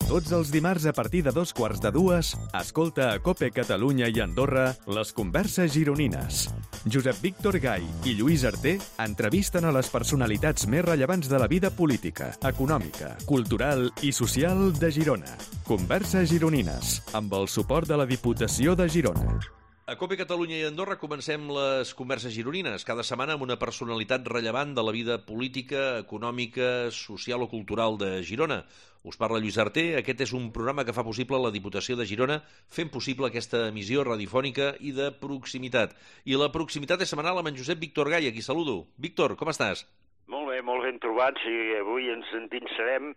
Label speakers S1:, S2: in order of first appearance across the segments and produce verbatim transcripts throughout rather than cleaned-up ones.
S1: Tots els dimarts a partir de dos quarts de dues, escolta a COPE Catalunya i Andorra les converses gironines. Josep Víctor Gai i Lluís Arter entrevisten a les personalitats més rellevants de la vida política, econòmica, cultural i social de Girona. Converses gironines, amb el suport de la Diputació de Girona.
S2: A COPE Catalunya i Andorra comencem les converses gironines, cada setmana amb una personalitat rellevant de la vida política, econòmica, social o cultural de Girona. Us parla Lluís Arter, aquest és un programa que fa possible la Diputació de Girona, fent possible aquesta emissió radiofònica i de proximitat. I la proximitat és setmanal amb en Josep Víctor Gai, a qui saludo. Víctor, com estàs?
S3: Molt bé, molt ben trobats, i avui ens endinsarem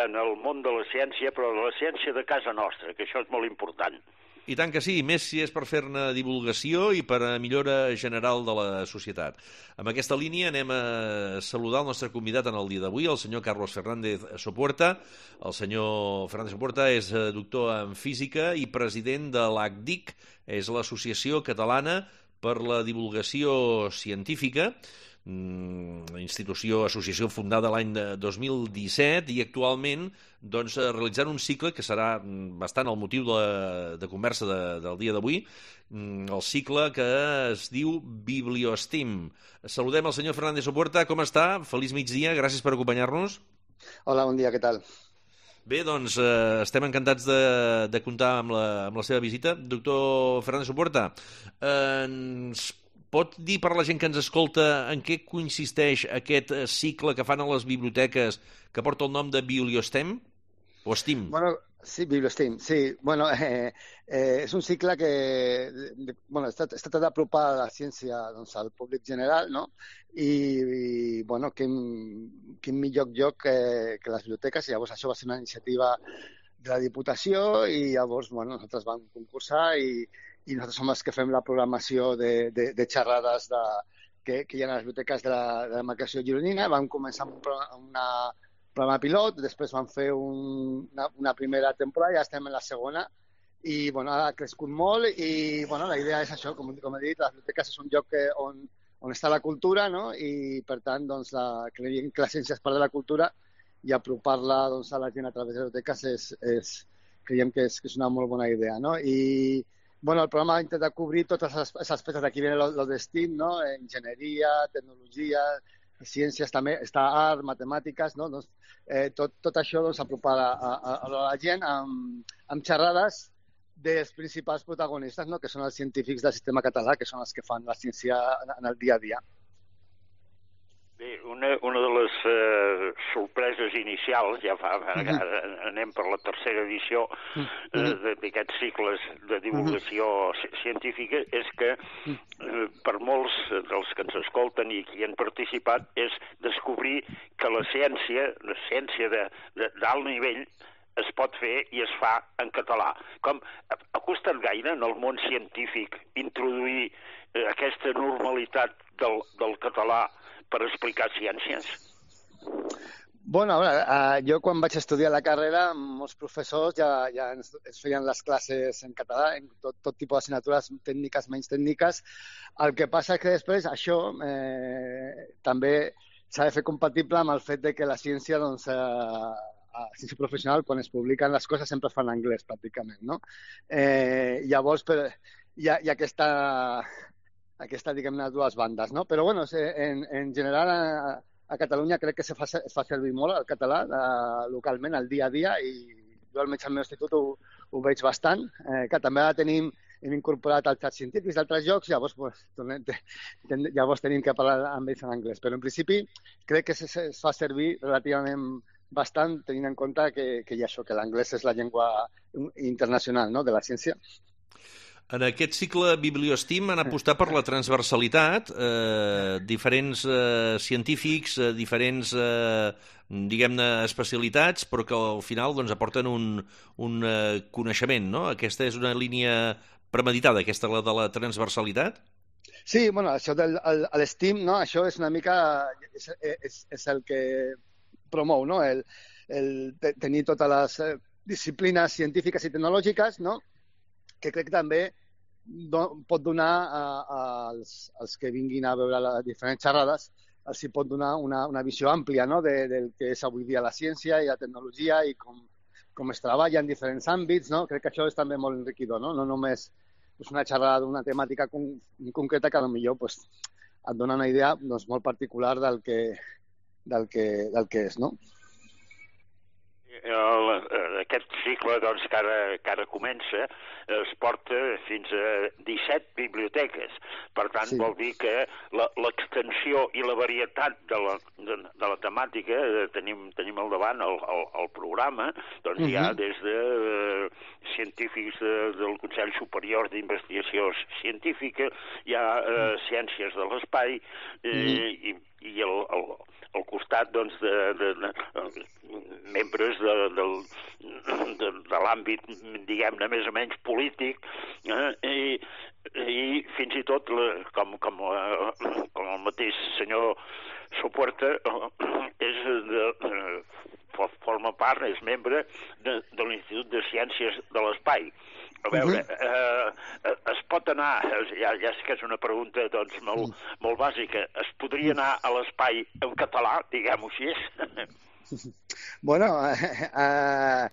S3: en el món de la ciència, però de la ciència de casa nostra, que això és molt important.
S2: I tant que sí, més si és per fer-ne divulgació i per a millora general de la societat. Amb aquesta línia anem a saludar el nostre convidat en el dia d'avui, el senyor Carlos Fernández Sopuerta. El senyor Fernández Sopuerta és doctor en física i president de l'A C D I C, és l'Associació Catalana per la Divulgació Científica, institució, associació fundada l'any dos mil disset i actualment doncs, realitzant un cicle que serà bastant el motiu de, de conversa de, del dia d'avui, el cicle que es diu Bibliostim. Saludem el senyor Fernández Sopuerta, com està? Feliç migdia, gràcies per acompanyar-nos.
S4: Hola, bon dia, què tal?
S2: Bé, doncs eh, estem encantats de, de comptar amb la, amb la seva visita. Doctor Fernández Sopuerta, eh, ens pot dir per a la gent que ens escolta en què consisteix aquest cicle que fan a les biblioteques que porta el nom de Bibliostem? O Steam?
S4: Bueno, sí, Bibliostem, sí. Bueno, eh, eh, és un cicle que bueno, està, està tot d'apropar la ciència doncs, al públic general, no? I, i bueno, quin, quin millor lloc que, que les biblioteques. I llavors això va ser una iniciativa de la Diputació i llavors bueno, nosaltres vam concursar i i nosaltres som els que fem la programació de, de, de xerrades de, que, que hi ha a les biblioteques de la, de la demarcació gironina. Vam començar amb un programa, una, programa pilot, després vam fer un, una, una primera temporada, ja estem en la segona, i bueno, ha crescut molt i bueno, la idea és això, com, com he dit, les biblioteques és un lloc que, on, on està la cultura, no? I per tant, doncs, la, creiem que la ciència és part de la cultura i apropar-la doncs, a la gent a través de les biblioteques és, és, creiem que és, que és una molt bona idea, no? I bueno, el programa intenta cobrir tots els aspectes. Aquí viene lo, lo de STEAM, ¿no? Enginyeria, tecnologia, ciències també, està art, matemàtiques, no? Doncs, eh, tot, tot això doncs, apropar a, a, a la gent amb, amb xerrades dels principals protagonistes, no? Que són els científics del sistema català, que són els que fan la ciència en el dia a dia.
S3: Bé, una, una de les eh, sorpreses inicials, ja fa, ara anem per la tercera edició eh, d'aquests cicles de divulgació científica, és que eh, per molts dels que ens escolten i qui han participat és descobrir que la ciència, la ciència d'alt nivell, es pot fer i es fa en català. Com ha costat gaire en el món científic introduir eh, aquesta normalitat del, del català per explicar ciències?
S4: Bueno, a veure, eh, jo quan vaig estudiar la carrera, molts professors ja, ja ens, ens feien les classes en català, en tot, tot tipus d'assignatures tècniques, menys tècniques. El que passa és que després això eh, també s'ha de fer compatible amb el fet de que la ciència, doncs, eh, a ciència professional, quan es publiquen les coses sempre es fan en anglès, pràcticament, no? Eh, llavors, per, hi ha, hi ha aquesta... aquesta, diguem-ne, dues bandes, no? Però, bueno, en, en general, a, a Catalunya crec que se fa, es fa servir molt el català eh, localment, al dia a dia, i jo almenys al meu institut ho, ho veig bastant, eh, que també ara tenim, hem incorporat els xats científics d'altres llocs, llavors, pues, tornem, ten, llavors tenim que parlar amb ells en anglès. Però, en principi, crec que es, es fa servir relativament bastant, tenint en compte que, que hi ha això, que l'anglès és la llengua internacional, no?, de la ciència.
S2: En aquest cicle Bibliostim han apostat per la transversalitat, eh, diferents eh, científics, eh, diferents, eh, diguem-ne, especialitats, però que al final doncs, aporten un, un eh, coneixement, no? Aquesta és una línia premeditada, aquesta la de la transversalitat?
S4: Sí, bueno, això de l'STEAM, no? Això és una mica, és, és, és el que promou, no? El, el tenir totes les disciplines científiques i tecnològiques, no? Que crec que també do, pot donar a, a, als, als que vinguin a veure les diferents xerrades, els pot donar una, una visió àmplia, no?, de, del que és avui dia la ciència i la tecnologia i com, com es treballa en diferents àmbits, no? Crec que això és també molt enriquidor, no? No només pues, una xerrada d'una temàtica con concreta que potser pues, et dona una idea doncs, molt particular del que, del que, del que és, no?
S3: El, aquest cicle doncs, que, ara, que ara comença es porta fins a disset biblioteques. Per tant, sí. Vol dir que l'extensió i la varietat de la, de, de la temàtica tenim, tenim al davant el, el, el programa, doncs uh-huh. hi ha des de uh, científics de, del Consell Superior d'Investigació Científica, hi ha uh, ciències de l'espai uh, uh-huh. i, i el, el al costat doncs, de, de, de, de membres de, de, de, de l'àmbit, diguem-ne, més o menys polític, eh? I, i fins i tot, com, com, com el mateix senyor Sopuerta, és de, de, forma part, és membre de, de l'Institut de Ciències de l'Espai. A veure, uh-huh. eh, es pot anar, ja, ja sé que és una pregunta doncs, molt, uh-huh. molt bàsica, es podria anar a l'espai en català, diguem-ho així?
S4: Bueno, eh, eh,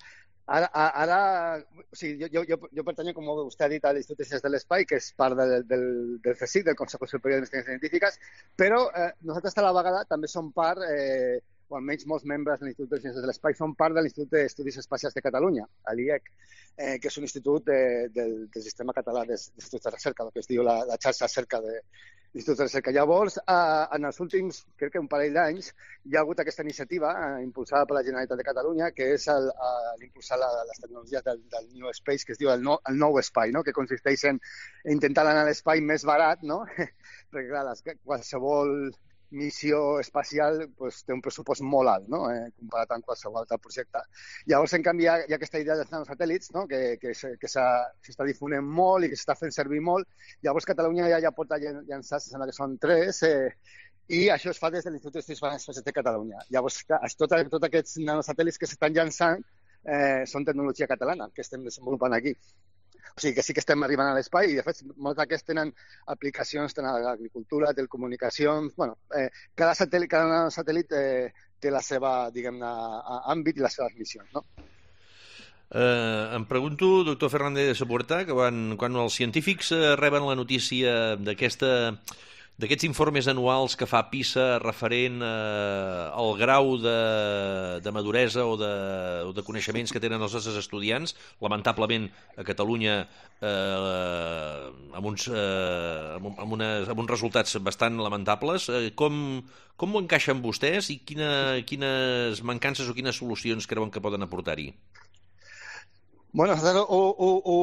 S4: ara, ara o sigui, jo, jo, jo pertanyo, com vostè ha dit, a l'Institut de Ciències de l'Espai, que és part del, del, del C S I C, del Consejo Superior d'Investigacions Científiques, però eh, nosaltres a la vegada també som part, eh, o almenys molts membres de l'Institut de Ciències de l'Espai, són part de l'Institut d'Estudis Espacials de Catalunya, a l'I E C, eh, que és un institut eh, del, del sistema català d'instituts de recerca, el que es diu la, la xarxa cerca de l'institut de recerca. Llavors, eh, en els últims, crec que un parell d'anys, hi ha hagut aquesta iniciativa eh, impulsada per la Generalitat de Catalunya, que és l'impulsar les tecnologies del, del New Space, que es diu el, no, el nou espai, no? Que consisteix en intentar anar a l'espai més barat, no? Perquè, clar, les, qualsevol missió espacial pues, té un pressupost molt alt, no? eh, comparat amb qualsevol altre projecte. Llavors, en canvi, hi ha, hi ha aquesta idea dels nanosatèl·lits, no? que, que, que s'està difonent molt i que s'està fent servir molt. Llavors, Catalunya ja, ja porta llançats, sembla que són tres, eh, i això es fa des de l'Institut d'Estudis Espacials de Catalunya. Llavors, tots tot aquests nanosatèl·lits que s'estan llançant eh, són tecnologia catalana, que estem desenvolupant aquí. O sigui que sí que estem arribant a l'espai i, de fet, molts d'aquests tenen aplicacions tant a l'agricultura, telecomunicacions... Bueno, eh, cada satèl·lit, cada satèl·lit eh, té la seva, diguem-ne, àmbit i les seves missions, no?
S2: Eh, em pregunto, doctor Fernández de Sopuerta, que quan, quan els científics eh, reben la notícia d'aquesta... d'aquests informes anuals que fa PISA referent eh, al grau de, de maduresa o de, o de coneixements que tenen els nostres estudiants, lamentablement a Catalunya eh, amb, uns, eh, amb, amb, unes, amb uns resultats bastant lamentables, eh, com, com ho encaixen vostès i quina, quines mancances o quines solucions creuen que poden aportar-hi?
S4: Bueno, nosaltres ho, ho, ho,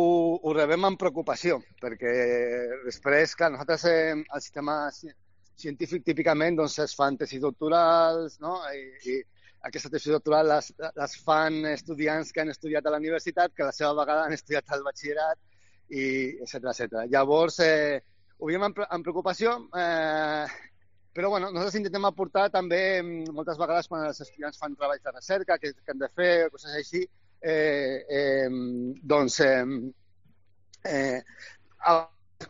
S4: ho rebem amb preocupació, perquè després, clar, nosaltres eh, el sistema científic típicament doncs, es fan tesis doctorals, no? I, i aquestes tesis doctorals les, les fan estudiants que han estudiat a la universitat, que a la seva vegada han estudiat al batxillerat, i etcètera, etcètera. Llavors, eh, ho veiem amb, amb preocupació, eh, però bueno, nosaltres intentem aportar també, moltes vegades, quan els estudiants fan treballs de recerca, que, que han de fer, coses així, Eh, eh, doncs eh, eh,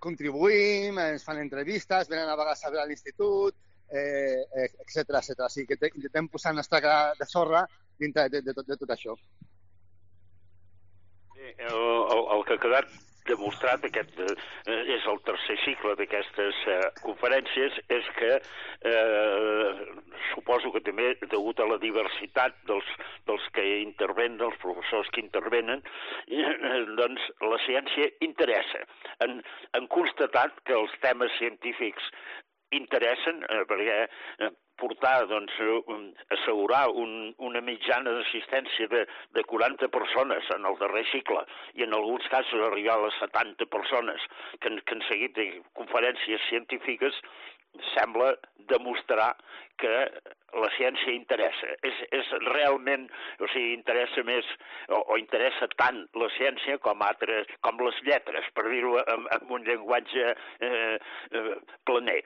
S4: contribuïm, ens fan entrevistes, venen a vegades a veure a l'institut, eh, etcètera, etcètera. O sigui que intentem posar el nostre gra de sorra dintre de, de, de, de tot això.
S3: El, el, el que ha quedat demostrat, aquest eh, és el tercer cicle d'aquestes eh, conferències, és que eh, suposo que també, degut a la diversitat dels, dels que intervenen, dels professors que intervenen, eh, doncs la ciència interessa. Han, han constatat que els temes científics interessen, eh, perquè eh, portar, doncs, assegurar un, una mitjana d'assistència de, de quaranta persones en el darrer cicle i en alguns casos arribar a les setanta persones que, que han seguit conferències científiques sembla demostrar que la ciència interessa. És, és realment, o sigui, interessa més o, o interessa tant la ciència com, altres, com les lletres, per dir-ho amb, amb un llenguatge eh, eh, planer.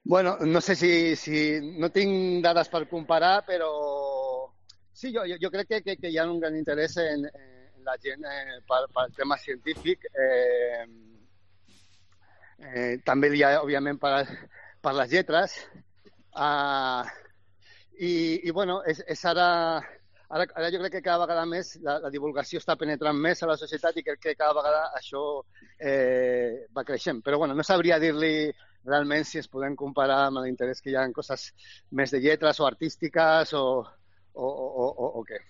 S4: Bueno, no sé si, si... No tinc dades per comparar, però sí, jo, jo crec que, que, que hi ha un gran interès en, en la gent eh, pel, pel tema científic. Eh, eh, també hi ha, òbviament, per, per les lletres. Uh, i, I, bueno, és, és ara ara, ara jo crec que cada vegada més la, la divulgació està penetrant més a la societat i crec que cada vegada això eh, va creixent. Però bueno, no sabria dir-li realment si es podem comparar amb l'interès que hi ha en coses més de lletres o artístiques o, o, o, o, o què.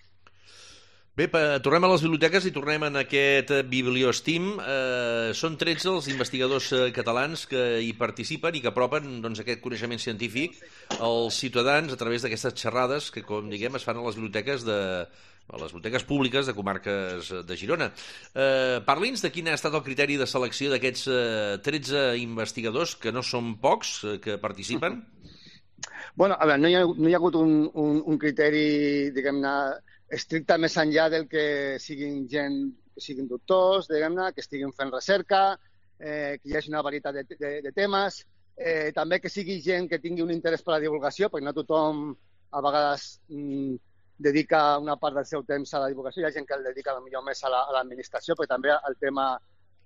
S2: Bé, tornem a les biblioteques i tornem en aquest Bibliostim. Eh, són tretze els investigadors catalans que hi participen i que apropen doncs, aquest coneixement científic als ciutadans a través d'aquestes xerrades que, com diguem, es fan a les biblioteques de a les biblioteques públiques de comarques de Girona. Eh, Parli'ns de quin ha estat el criteri de selecció d'aquests eh, tretze investigadors, que no són pocs, eh, que participen?
S4: Bueno, a veure, no hi ha, no hi ha hagut un, un, un criteri, diguem-ne, estricte més enllà del que siguin gent, que siguin doctors, diguem-ne, que estiguin fent recerca, eh, que hi hagi una varietat de, de, de temes, eh, també que sigui gent que tingui un interès per la divulgació, perquè no tothom a vegades mm, dedica una part del seu temps a la divulgació, hi ha gent que el dedica potser més a l'administració, la, però també el tema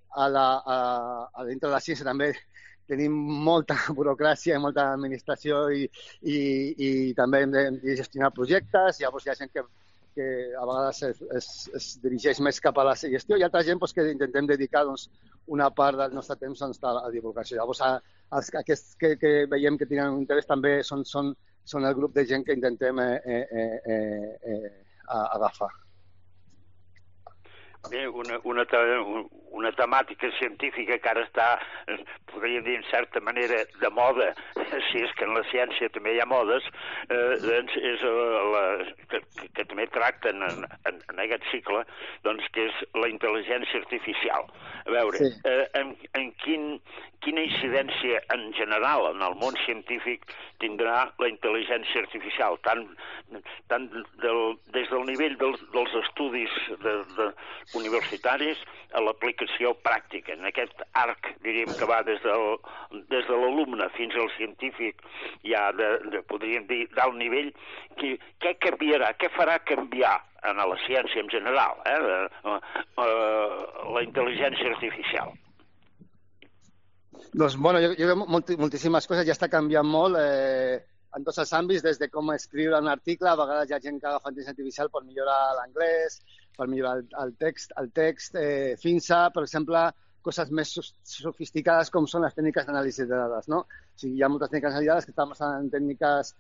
S4: a la, a, a dintre de la ciència també tenim molta burocràcia i molta administració i, i, i també hem de, de gestionar projectes, llavors hi ha gent que que a vegades es, es, es dirigeix més cap a la gestió i altra gent doncs, que intentem dedicar doncs, una part del nostre temps doncs, a la divulgació. Llavors, a, els, aquests que, que veiem que tenen un interès també són, són, són el grup de gent que intentem eh, eh, eh, eh, agafar.
S3: Bé, una, una, una temàtica científica que ara està, podríem dir, en certa manera, de moda, si és que en la ciència també hi ha modes, eh, doncs és la, que, que també tracten en, en, en aquest cicle, doncs que és la intel·ligència artificial. A veure, sí. eh, en, en quin, quina incidència en general en el món científic tindrà la intel·ligència artificial, tant, tant del, des del nivell dels, dels estudis de, de, universitaris a l'aplicació pràctica, en aquest arc, diríem, que va des, del, des de l'alumne fins al científic, ja de, de, podríem dir, d'alt nivell, que, què canviarà, què farà canviar en la ciència en general, eh, de, uh, uh, la intel·ligència artificial?
S4: Doncs, bueno, jo, jo molt, moltíssimes coses, ja està canviant molt, eh, en tots els àmbits, des de com escriure un article, a vegades hi ha gent que agafa intel·ligència artificial per millorar l'anglès, per millorar el, el text, el text eh, fins a, per exemple, coses més sofisticades com són les tècniques d'anàlisi de dades, no? O sigui, hi ha moltes tècniques d'anàlisi de dades que estan basades en tècniques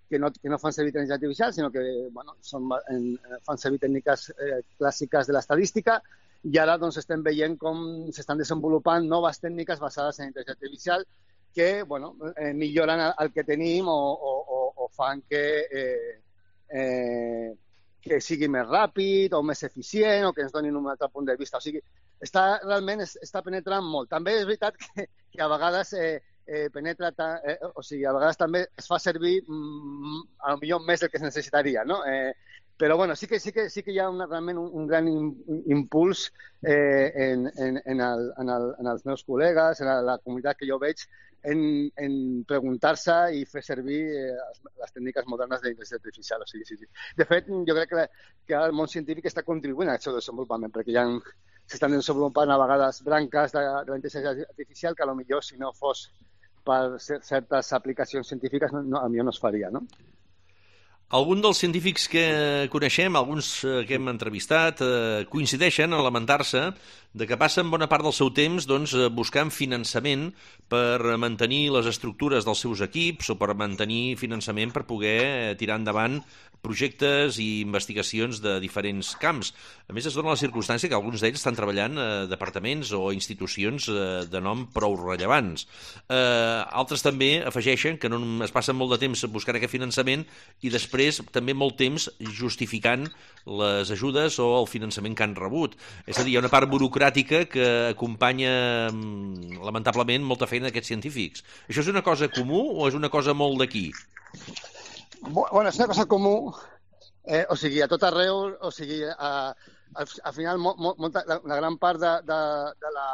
S4: que no, que no fan servir intel·ligència artificial, sinó que bueno, són, en, fan servir tècniques eh, clàssiques de l'estadística, i ara doncs, estem veient com s'estan desenvolupant noves tècniques basades en intel·ligència artificial que bueno, eh, milloren el que tenim o, o, o, o fan que, eh, eh, que sigui més ràpid o més eficient o que ens donin un altre punt de vista. O sigui, està, realment es, està penetrant molt. També és veritat que, que a vegades eh, eh, penetra, ta, eh, o sigui, a vegades també es fa servir mm, a lo millor més del que es necessitaria, no? Eh, Però bueno, sí que, sí que, sí que hi ha una, realment un, un gran impuls eh, en, en, en, el, en, el, en els meus col·legues, en la, la comunitat que jo veig, en, en preguntar-se i fer servir eh, les tècniques modernes d'intel·ligència artificial. O sigui, sí, sí. De fet, jo crec que, que el món científic està contribuint a aquest desenvolupament, perquè ja s'estan desenvolupant a vegades branques de, de la intel·ligència artificial que potser si no fos per certes aplicacions científiques no, no, a mi no es faria, no?
S2: Algun dels científics que coneixem, alguns que hem entrevistat, eh, coincideixen en lamentar-se de que passen bona part del seu temps doncs, buscant finançament per mantenir les estructures dels seus equips o per mantenir finançament per poder tirar endavant projectes i investigacions de diferents camps. A més, es dona la circumstància que alguns d'ells estan treballant a departaments o institucions de nom prou rellevants. Eh, altres també afegeixen que no es passen molt de temps buscant aquest finançament i després també molt temps justificant les ajudes o el finançament que han rebut. És a dir, hi ha una part burocràtica que acompanya, lamentablement, molta feina d'aquests científics. Això és una cosa comú o és una cosa molt d'aquí?
S4: Bueno, és una cosa comú, eh, o sigui, a tot arreu, o sigui, a, al, al final mo, mo, molta, la, la gran part de, de, de la,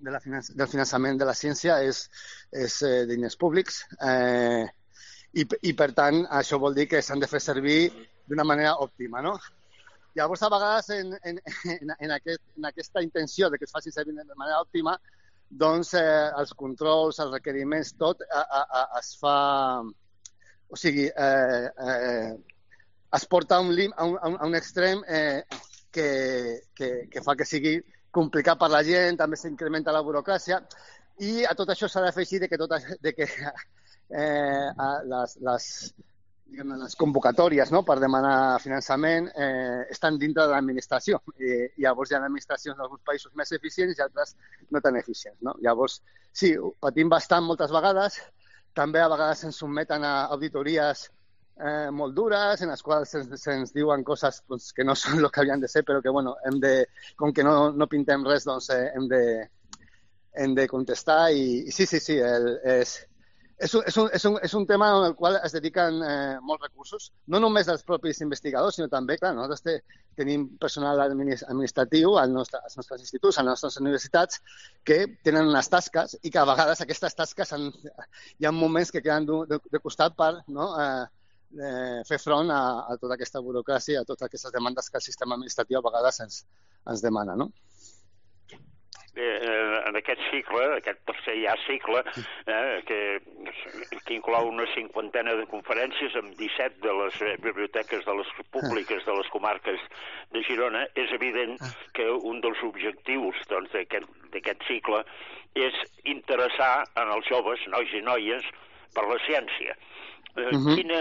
S4: de la finanç, del finançament de la ciència és, és eh, diners públics eh, i, i, per tant, això vol dir que s'han de fer servir d'una manera òptima, no? Llavors, a vegades, en, en, en, en, aquest, en aquesta intenció de que es facin servir de manera òptima, doncs eh, els controls, els requeriments, tot a, a, a, es fa... O sigui, eh, eh, es porta a un, lim, a un, a un extrem eh, que, que, que fa que sigui complicat per la gent, també s'incrementa la burocràcia, i a tot això s'ha d'afegir de que, tot, de que eh, les, les, diguem, les convocatòries, no?, per demanar finançament eh, estan dintre de l'administració. I, i llavors hi ha administracions d'alguns països més eficients i altres no tan eficients, no? Llavors, sí, patim bastant moltes vegades. També a vegades ens sotmeten a auditories eh, molt dures, en les quals se'ns, se'ns diuen coses doncs, que no són el que havien de ser, però que, bueno, hem de, com que no, no pintem res, doncs eh, hem, de, hem de contestar. I, i sí, sí, sí, el, és, és, un, és, un, és, un, és un tema en el qual es dediquen eh, molts recursos, no només dels propis investigadors, sinó també, clar, nosaltres te, tenim personal administratiu als nostres, als nostres instituts, a les nostres universitats, que tenen unes tasques i que a vegades aquestes tasques han, hi ha moments que queden de, de costat per, no, eh, eh, fer front a, a tota aquesta burocràcia, a totes aquestes demandes que el sistema administratiu a vegades ens, ens demana, no?
S3: Eh, en aquest cicle, aquest tercer ja cicle, eh, que, que inclou una cinquantena de conferències amb disset de les biblioteques de les públiques de les comarques de Girona, és evident que un dels objectius doncs, d'aquest cicle és interessar en els joves, nois i noies, per la ciència. Uh -huh. quina,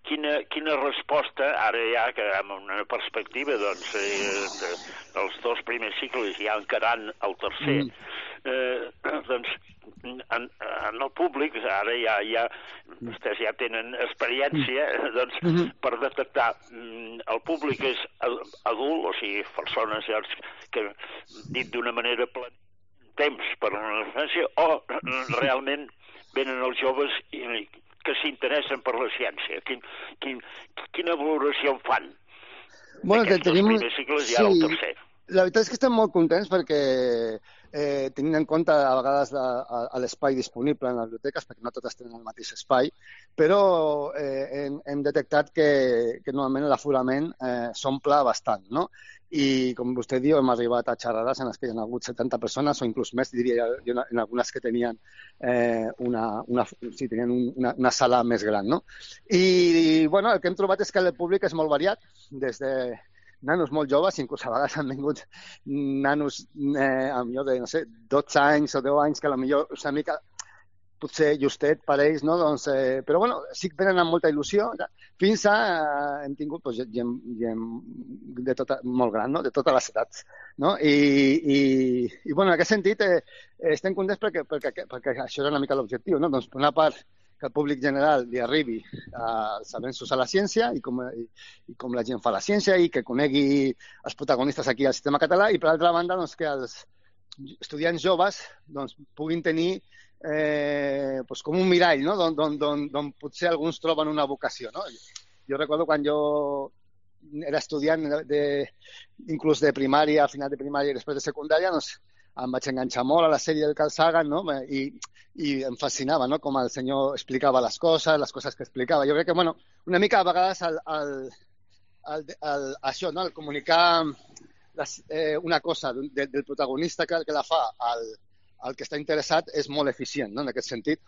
S3: quina, quina resposta, ara ja que amb una perspectiva doncs, eh, de, dels dos primers cicles ja encarant el tercer, uh -huh. eh, doncs en, en el públic, ara ja, ja vostès ja tenen experiència, doncs, uh -huh. per detectar el públic és adult, o sigui, persones que, dit d'una manera plena, temps per una referència, o realment venen els joves i que s'interessen per la ciència. Quin, quin, quina valoració en fan?
S4: Bueno,
S3: Aquests
S4: tenim...
S3: dos primers cicles i ara
S4: sí,
S3: el tercer.
S4: La veritat és que estem molt contents perquè, eh, tenint en compte a vegades l'espai disponible en les biblioteques, perquè no totes tenen el mateix espai, però eh, hem, hem detectat que, que normalment l'aforament eh, s'omple bastant, no? I, com vostè diu, hem arribat a xerrades en les que hi ha hagut setanta persones o inclús més, diria jo, en algunes que tenien, eh, una, una, sí, tenien una, una sala més gran, no? I, i, bueno, el que hem trobat és que el públic és molt variat, des de nanos molt joves, inclús a vegades han vingut nanos eh, a millor de, no sé, dotze anys o deu anys, que a lo millor és una mica potser justet per ells, no? Doncs, eh, però bueno, sí que venen amb molta il·lusió. Fins a eh, hem tingut pues, gent, gent de tota, molt gran, no? De totes les edats, no? I, i, i bueno, en aquest sentit eh, estem contents perquè, perquè, perquè això era una mica l'objectiu, no? Doncs per una part que el públic general li arribi als avenços a la ciència i com, i, i com la gent fa la ciència i que conegui els protagonistes aquí al sistema català, i per altra banda doncs, que els estudiants joves doncs, puguin tenir eh, doncs, com un mirall, no? D'on potser alguns troben una vocació, no? Jo recordo quan jo era estudiant de, de, inclús de primària, a final de primària i després de secundària, doncs em vaig enganxar molt a la sèrie del Carl Sagan, no? I, i em fascinava, no? Com el senyor explicava les coses, les coses que explicava. Jo crec que, bueno, una mica a vegades el, el, el, el, això, no? El comunicar les, eh, una cosa de, del protagonista que, que la fa al, al que està interessat és molt eficient, no? En aquest sentit.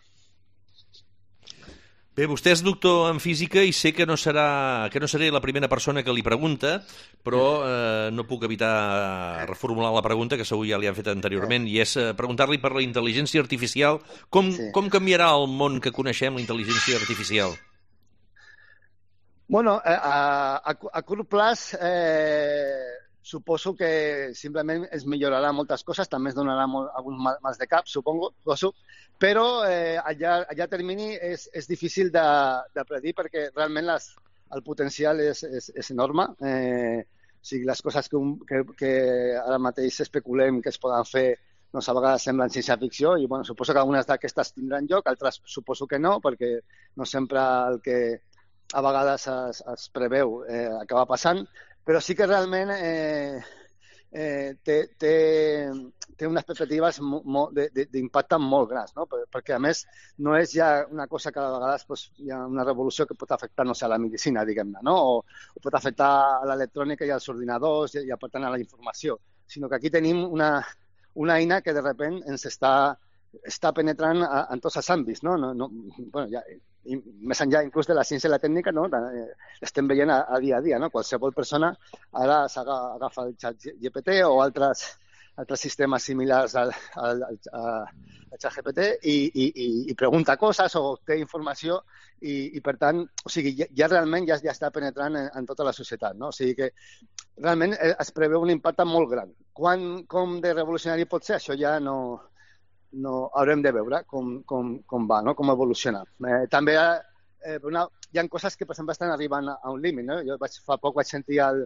S2: Bé, vostè és doctor en física i sé que no serà que no seré la primera persona que li pregunta, però eh, no puc evitar reformular la pregunta, que segur ja li han fet anteriorment, i és eh, preguntar-li per la intel·ligència artificial. Com, sí. com canviarà el món que coneixem la intel·ligència artificial?
S4: Bueno, a, a, a curt plaç eh, suposo que simplement es millorarà moltes coses, també es donarà molt, alguns mals de cap, supongo, suposo, però eh, a, llarg, a llarg termini és, és difícil de, de predir perquè realment les, el potencial és, és, és enorme. Eh, o sigui, les coses que, que, que ara mateix especulem que es poden fer doncs a vegades semblen ciència-ficció i bueno, suposo que algunes d'aquestes tindran lloc, altres suposo que no, perquè no sempre el que a vegades es, es preveu eh, acaba passant, però sí que realment eh, eh, té, té, té unes perspectives d'impacte molt grans, no? Perquè a més no és ja una cosa que a vegades pues, hi ha una revolució que pot afectar, no sé, a la medicina, diguem-ne, no? O, o pot afectar a l'electrònica i als ordinadors i, i per tant a la informació, sinó que aquí tenim una, una eina que de sobte ens està, està penetrant a, en tots els àmbits, no? no, no bueno, ja, i més enllà inclús de la ciència i la tècnica, no? Estem veient a, a dia a dia, no? Qualsevol persona ara s'agafa el xat G P T o altres, altres sistemes similars al, al, al, al xat G P T i, i, i pregunta coses o té informació i, i per tant, o sigui, ja, ja realment ja, ja està penetrant en, en tota la societat, no? O sigui que realment es preveu un impacte molt gran. Quan, com de revolucionari pot ser, això ja no... no haurem de veure com, com, com va, no? Com evoluciona. Eh, també eh, una, hi ha coses que, per exemple, estan arribant a un límit. No? Jo vaig, fa poc vaig sentir el,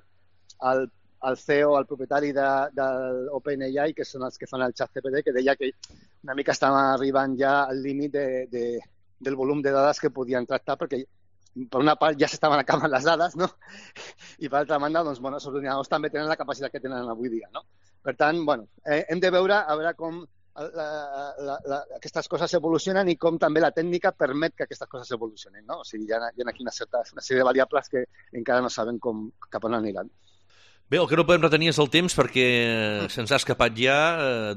S4: el, el C E O, el propietari de, de l'OpenAI, que són els que fan el xat G P T, que deia que una mica estava arribant ja al límit de, de, del volum de dades que podien tractar, perquè per una part ja s'estaven acabant les dades, no? I per altra banda, doncs, bueno, els ordinadors també tenen la capacitat que tenen avui dia, no? Per tant, bueno, eh, hem de veure a veure com La, la, la, aquestes coses evolucionen i com també la tècnica permet que aquestes coses evolucionin, no? O sigui, hi ha, hi ha aquí una, certa, una sèrie de variables que encara no sabem com, cap on aniran.
S2: Bé, el que no podem retenir és el temps perquè se'ns ha escapat ja.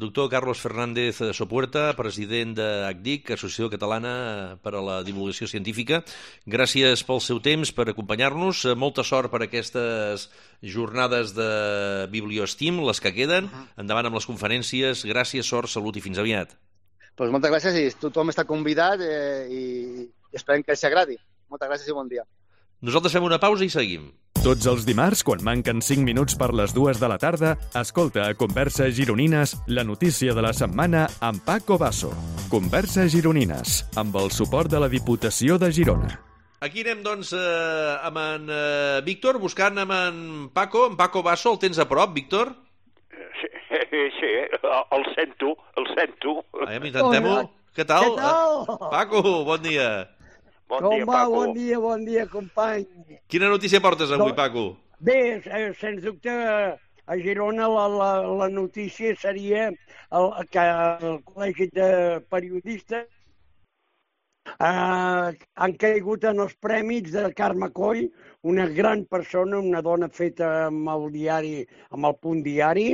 S2: Doctor Carlos Fernández Sopuerta, president de A C D I C, Associació Catalana per a la Divulgació Científica. Gràcies pel seu temps, per acompanyar-nos. Molta sort per aquestes jornades de Bibliostim, les que queden. Endavant amb les conferències. Gràcies, sort, salut i fins aviat.
S4: Pues moltes gràcies i tothom està convidat eh, i esperem que els agradi. Moltes gràcies i bon dia.
S2: Nosaltres fem una pausa i seguim.
S1: Tots els dimarts, quan manquen cinc minuts per les dues de la tarda, escolta a Conversa Gironines la notícia de la setmana amb Paco Basso. Conversa Gironines, amb el suport de la Diputació de Girona.
S2: Aquí anem, doncs, eh, amb en eh, Víctor, buscant amb en Paco. En Paco Basso, el tens a prop, Víctor?
S3: Sí, sí, el sento, el sento.
S2: Aviam, intentem-ho. Què tal?
S5: Què tal?
S2: Paco, bon dia.
S3: Bon
S5: Com
S3: dia,
S5: va?
S3: Paco.
S5: Bon dia, bon dia, company.
S2: Quina notícia portes avui, Paco?
S5: Bé, eh, sens dubte, a Girona la, la, la notícia seria el, que el Col·legi de Periodistes eh, han caigut en els prèmits de Carme Coll, una gran persona, una dona feta amb el diari, amb el Punt Diari,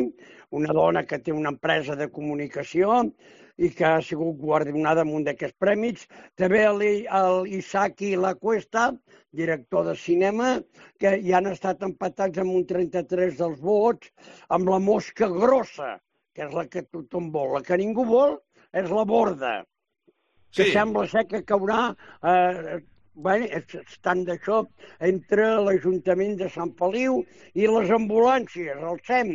S5: una dona que té una empresa de comunicació i que ha sigut guardonada amb un d'aquests prèmits. També l'Isaki Lacuesta, director de cinema, que ja han estat empatats amb un trenta-tres dels vots, amb la mosca grossa, que és la que tothom vol. La que ningú vol és la borda, que
S2: Sí.
S5: sembla ser que caurà... Eh, Bé, estan d'això entre l'Ajuntament de Sant Feliu i les ambulàncies, el S E M.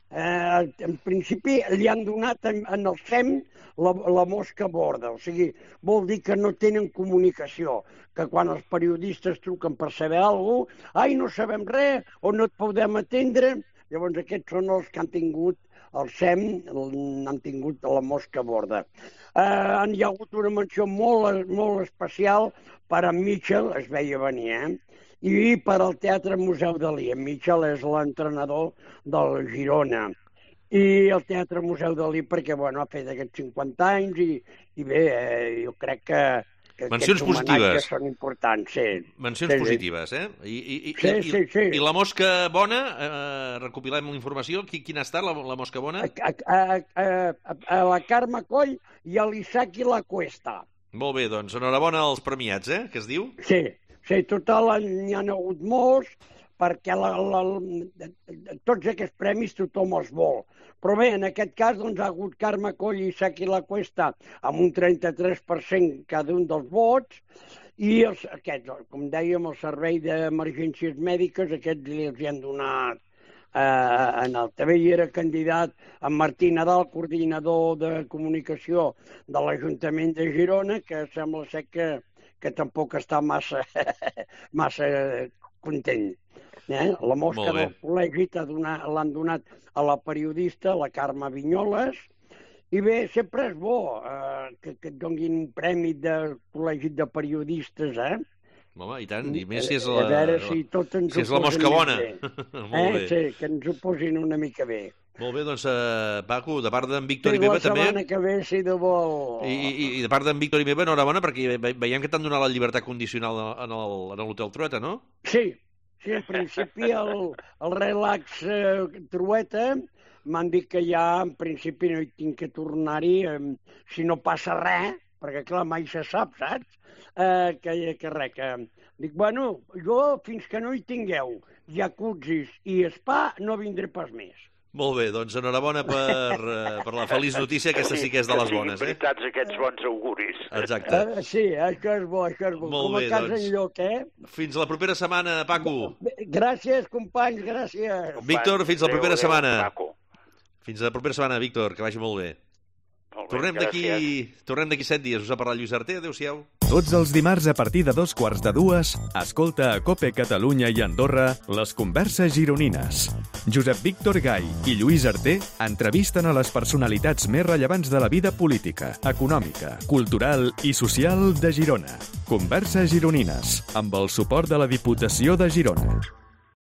S5: Eh, en principi li han donat en, en el S E M la, la mosca borda, o sigui, vol dir que no tenen comunicació, que quan els periodistes truquen per saber alguna cosa, ai, no sabem res, o no et podem atendre, llavors aquests són els que han tingut el S E M, han tingut la mosca borda. Eh, hi ha hagut una menció molt, molt especial per a Mitchell, es veia venir, eh? I per al Teatre Museu Dalí. En Mitchell és l'entrenador del Girona. I el Teatre Museu Dalí perquè, bueno, ha fet aquests cinquanta anys i, i bé, eh, jo crec que, que
S2: Mencions
S5: aquests homenatges
S2: positives.
S5: són importants, sí.
S2: Mencions
S5: Sí, sí.
S2: positives, eh? I, i, i,
S5: Sí,
S2: i,
S5: sí, sí.
S2: I la mosca bona, eh, recopilem la informació. Qui, quina ha estat la, la mosca bona?
S5: A, a, a, a, a la Carme Coll i a l'Isaki Lacuesta.
S2: Molt bé, doncs enhorabona als premiats, eh? Que es diu?
S5: Sí, sí, total, n'hi ha hagut molts, perquè la, la, tots aquests premis tothom els vol. Però bé, en aquest cas doncs, ha hagut Carme Coll i Isaki Lacuesta amb un trenta-tres per cent cada un dels vots, i els, aquests, com dèiem, el Servei d'Emergències Mèdiques, aquests els hi han donat eh, en el també hi era candidat en Martí Nadal, coordinador de comunicació de l'Ajuntament de Girona, que sembla ser que, que tampoc està massa, massa content. Eh? La mosca del col·legi l'han donat a la periodista, la Carme Vinyoles, i bé, sempre és bo eh, que, que et donin un premi de col·legi de periodistes, eh?
S2: Home, i tant, i més si és la,
S5: a veure si tot ens
S2: si és la
S5: ho posen
S2: mosca
S5: més
S2: bona.
S5: bé.
S2: Molt
S5: Eh?
S2: bé.
S5: Sí, que ens ho posin una mica bé.
S2: Molt bé, doncs, eh, Paco, de part d'en Víctor
S5: Sí,
S2: i meva
S5: la
S2: també...
S5: setmana que ve, si de vol...
S2: I, i, i de part d'en Víctor i meva, enhorabona, perquè ve- veiem que t'han donat la llibertat condicional en el- en l'Hotel Trueta, no?
S5: Sí, sí, en principi el, el relax eh, Trueta m'han dit que ja en principi no hi tinc que tornar-hi, eh, si no passa res, perquè clar, mai se sap, saps? Eh, que, que res, que... Dic, bueno, jo fins que no hi tingueu jacuzzis i spa no vindré pas més.
S2: Molt bé, doncs enhorabona per, per la feliç notícia, aquesta sí que és de les bones, eh?
S3: veritats aquests bons auguris.
S2: Exacte.
S5: Uh, sí, això és bo, això és bo.
S2: Molt
S5: Com
S2: bé,
S5: a casa
S2: doncs.
S5: enlloc, eh?
S2: Fins la propera setmana, Paco.
S5: Gràcies, companys, gràcies.
S2: Víctor, fins la
S3: Adéu,
S2: propera
S3: adéu,
S2: setmana.
S3: Paco.
S2: Fins la propera setmana, Víctor, que vagi molt bé.
S3: Molt bé,
S2: Tornem d'aquí
S3: gràcies.
S2: tornem d'aquí set dies. Us ha parlat Lluís Arté. Adéu-siau.
S1: Tots els dimarts a partir de dos quarts de dues, escolta a COPE Catalunya i Andorra les converses gironines. Josep Víctor Gai i Lluís Arté entrevisten a les personalitats més rellevants de la vida política, econòmica, cultural i social de Girona. Converses gironines, amb el suport de la Diputació de Girona.